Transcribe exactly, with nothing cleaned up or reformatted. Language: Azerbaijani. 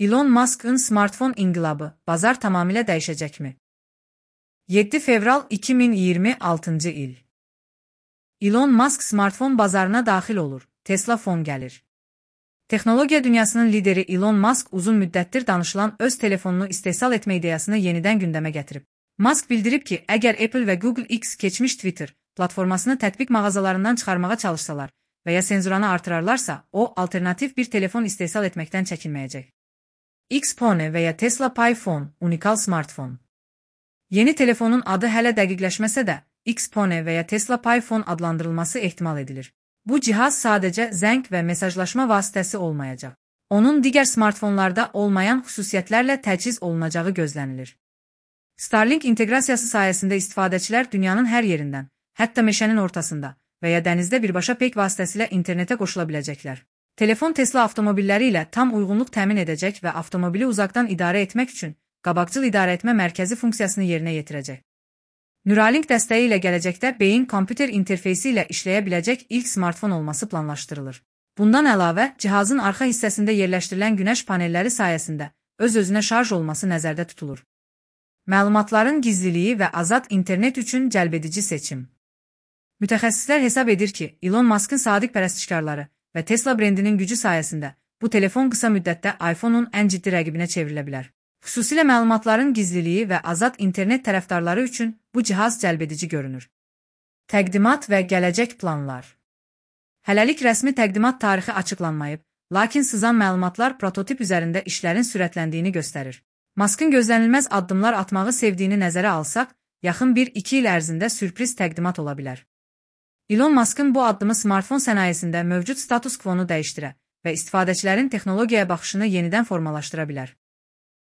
Elon Musk'ın smartfon inqilabı bazar tamamilə dəyişəcəkmi? yeddi fevral iki min iyirmi altıncı il. Elon Musk smartfon bazarına daxil olur. Tesla fon gəlir. Texnologiya dünyasının lideri Elon Musk uzun müddətdir danışılan öz telefonunu istehsal etmə ideyasını yenidən gündəmə gətirib. Musk bildirib ki, əgər Apple və Google X keçmiş Twitter platformasını tətbiq mağazalarından çıxarmağa çalışsalar və ya senzuranı artırarlarsa, o, alternativ bir telefon istehsal etməkdən çəkinməyəcək. Xpone və ya Tesla Pi Phone, unikal smartfon. Yeni telefonun adı hələ dəqiqləşməsə də, Xpone və ya Tesla Pi Phone adlandırılması ehtimal edilir. Bu cihaz sadəcə zəng və mesajlaşma vasitəsi olmayacaq. Onun digər smartfonlarda olmayan xüsusiyyətlərlə təchiz olunacağı gözlənilir. Starlink inteqrasiyası sayəsində istifadəçilər dünyanın hər yerindən, hətta meşənin ortasında və ya dənizdə birbaşa peyk vasitəsilə internetə qoşula biləcəklər. Telefon Tesla avtomobilləri ilə tam uyğunluq təmin edəcək və avtomobili uzaqdan idarə etmək üçün qabaqcıl idarəetmə mərkəzi funksiyasını yerinə yetirəcək. Neuralink dəstəyi ilə gələcəkdə beyin kompüter interfeysi ilə işləyə biləcək ilk smartfon olması planlaşdırılır. Bundan əlavə, cihazın arxa hissəsində yerləşdirilən günəş panelləri sayəsində öz-özünə şarj olması nəzərdə tutulur. Məlumatların gizliliyi və azad internet üçün cəlbedici seçim. Mütəxəssislər hesab edir ki, Elon Musk'ın sadiq pərəstişkarları və Tesla brendinin gücü sayəsində bu telefon qısa müddətdə iPhone-un ən ciddi rəqibinə çevrilə bilər. Xüsusilə məlumatların gizliliyi və azad internet tərəfdarları üçün bu cihaz cəlbedici görünür. Təqdimat və gələcək planlar. Hələlik rəsmi təqdimat tarixi açıqlanmayıb, lakin sızan məlumatlar prototip üzərində işlərin sürətləndiyini göstərir. Musk'ın gözlənilməz addımlar atmağı sevdiyini nəzərə alsaq, yaxın bir iki il ərzində sürpriz təqdimat ola bilər. Elon Musk'ın bu addımı smartfon sənayesində mövcud status quo-nu dəyişdirə və istifadəçilərin texnologiyaya baxışını yenidən formalaşdıra bilər.